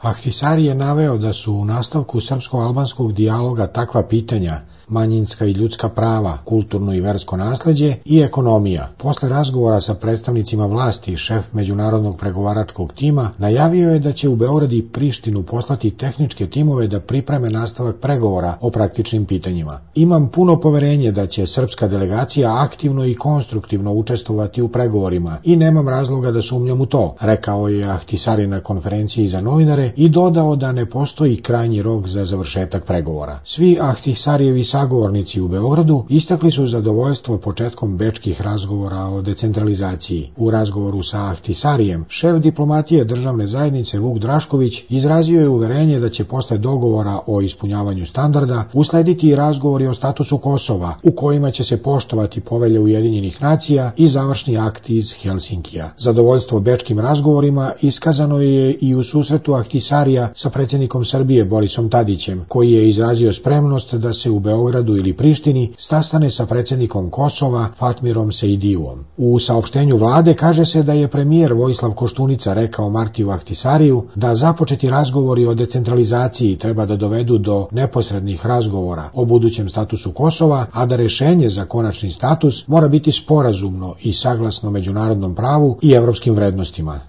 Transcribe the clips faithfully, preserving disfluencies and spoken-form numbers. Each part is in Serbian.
Ahtisari je naveo da su u nastavku srpsko-albanskog dijaloga takva pitanja, manjinska i ljudska prava, kulturno i versko nasleđe i ekonomija. Posle razgovora sa predstavnicima vlasti, šef međunarodnog pregovaračkog tima najavio je da će u Beograd i Prištinu poslati tehničke timove da pripreme nastavak pregovora o praktičnim pitanjima. Imam puno poverenje da će srpska delegacija aktivno i konstruktivno učestvovati u pregovorima i nemam razloga da sumnjam u to, rekao je Ahtisari na konferenciji za novinare i dodao da ne postoji krajnji rok za završetak pregovora. Svi Ahtisarijevi sagovornici u Beogradu istakli su zadovoljstvo početkom bečkih razgovora o decentralizaciji. U razgovoru sa Ahtisarijem, šef diplomatije državne zajednice Vuk Drašković izrazio je uverenje da će posle dogovora o ispunjavanju standarda uslediti i razgovori o statusu Kosova, u kojima će se poštovati povelje Ujedinjenih nacija i završni akt iz Helsinkija. Zadovoljstvo bečkim razgovorima iskazano je i u susretu Ahtisarija sa predsjednikom Srbije Borisom Tadićem, koji je izrazio spremnost da se u Beogradu ili Prištini sastane sa predsjednikom Kosova Fatmirom Sejdijuom. U saopštenju vlade kaže se da je premijer Vojislav Koštunica rekao Martiju Ahtisariju da započeti razgovori o decentralizaciji treba da dovedu do neposrednih razgovora o budućem statusu Kosova, a da rešenje za konačni status mora biti sporazumno i saglasno međunarodnom pravu i evropskim vrednostima.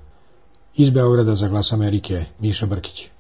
Iz Beograda za Glas Amerike, Miša Brkić.